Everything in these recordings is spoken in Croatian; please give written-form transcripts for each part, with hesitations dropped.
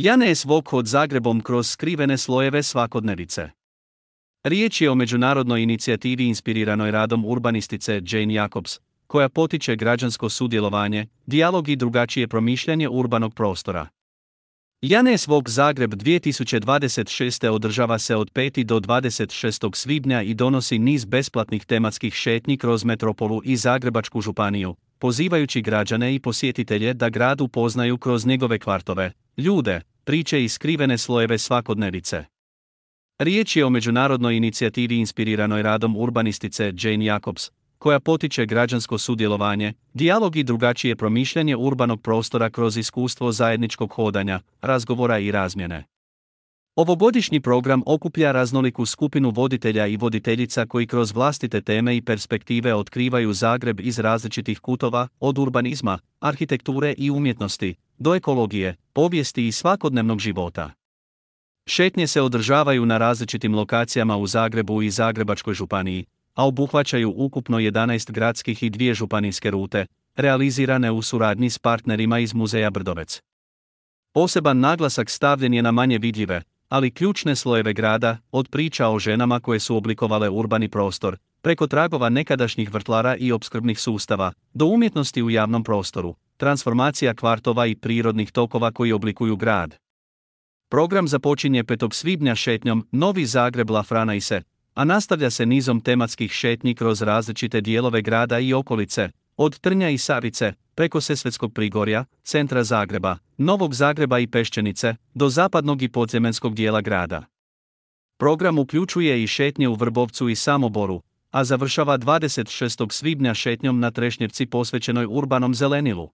Janez Vok od Zagrebom kroz skrivene slojeve svakodnevice. Riječ je o međunarodnoj inicijativi inspiriranoj radom urbanistice Jane Jacobs, koja potiče građansko sudjelovanje, dijalog i drugačije promišljanje urbanog prostora. Janez Vok Zagreb 2026. održava se od 5. do 26. svibnja i donosi niz besplatnih tematskih šetnji kroz metropolu i Zagrebačku županiju, pozivajući građane i posjetitelje da grad upoznaju kroz njegove kvartove, ljude, priče i skrivene slojeve svakodnevice. Riječ je o međunarodnoj inicijativi inspiriranoj radom urbanistice Jane Jacobs, koja potiče građansko sudjelovanje, dijalog i drugačije promišljanje urbanog prostora kroz iskustvo zajedničkog hodanja, razgovora i razmjene. Ovogodišnji program okuplja raznoliku skupinu voditelja i voditeljica koji kroz vlastite teme i perspektive otkrivaju Zagreb iz različitih kutova, od urbanizma, arhitekture i umjetnosti, do ekologije, povijesti i svakodnevnog života. Šetnje se održavaju na različitim lokacijama u Zagrebu i Zagrebačkoj županiji, a obuhvaćaju ukupno 11 gradskih i 2 županijske rute, realizirane u suradnji s partnerima iz Muzeja Brdovec. Poseban naglasak stavljen je na manje vidljive, ali ključne slojeve grada, od priča o ženama koje su oblikovale urbani prostor, preko tragova nekadašnjih vrtlara i opskrbnih sustava, do umjetnosti u javnom prostoru, transformacija kvartova i prirodnih tokova koji oblikuju grad. Program započinje 5. svibnja šetnjom Novi Zagreb La Franaise, a nastavlja se nizom tematskih šetnji kroz različite dijelove grada i okolice, od Trnja i Savice, preko Sesvetskog Prigorja, centra Zagreba, Novog Zagreba i Peščenice, do zapadnog i podzemljskog dijela grada. Program uključuje i šetnje u Vrbovcu i Samoboru, a završava 26. svibnja šetnjom na Trešnjevci posvećenoj urbanom zelenilu.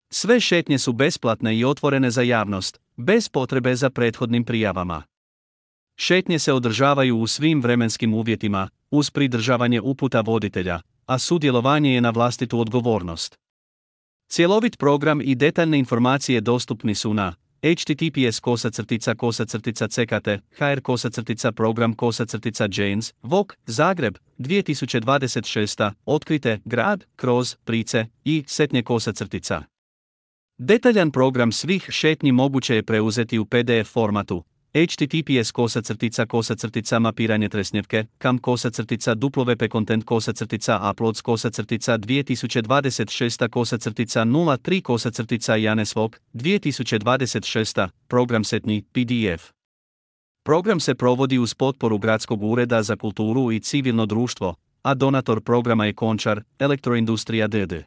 Sve šetnje su besplatne i otvorene za javnost, bez potrebe za prethodnim prijavama. Šetnje se održavaju u svim vremenskim uvjetima, uz pridržavanje uputa voditelja, a sudjelovanje je na vlastitu odgovornost. Cjelovit program i detaljne informacije dostupni su na https://ckt.hr/program/Janes Vok Zagreb 2026. Otkrite grad kroz price i setnje _. Detaljan program svih šetnji moguće je preuzeti u PDF formatu https://mapiranje Tresnjevke kam://content://2026/03 Janez Vok 2026. Program setnji PDF. Program se provodi uz potporu Gradskog ureda za kulturu i civilno društvo, a donator programa je Končar, Elektroindustrija d.d.